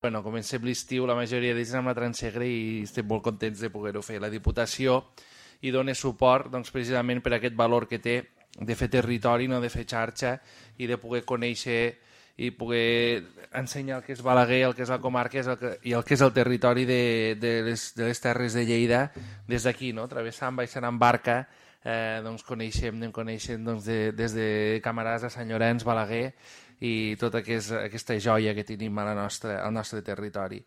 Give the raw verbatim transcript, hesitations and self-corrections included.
Bueno, comencem l'estiu, la majoria d'ells amb la Transegre i estem molt contents de poder-ho fer. La Diputació hi dona suport doncs, precisament per aquest valor que té de fer territori, no de fer xarxa i de poder conèixer i poder ensenyar el que és Balaguer, el que és la comarca el que, i el que és el territori de, de, les, de les Terres de Lleida des d'aquí, no? Travessant, baixant en barca, eh, doncs coneixem, anem coneixent doncs, de, des de Camarasa a Sant Llorenç, Balaguer i tota aquest, aquesta joia que tenim a la nostra, al nostre territori.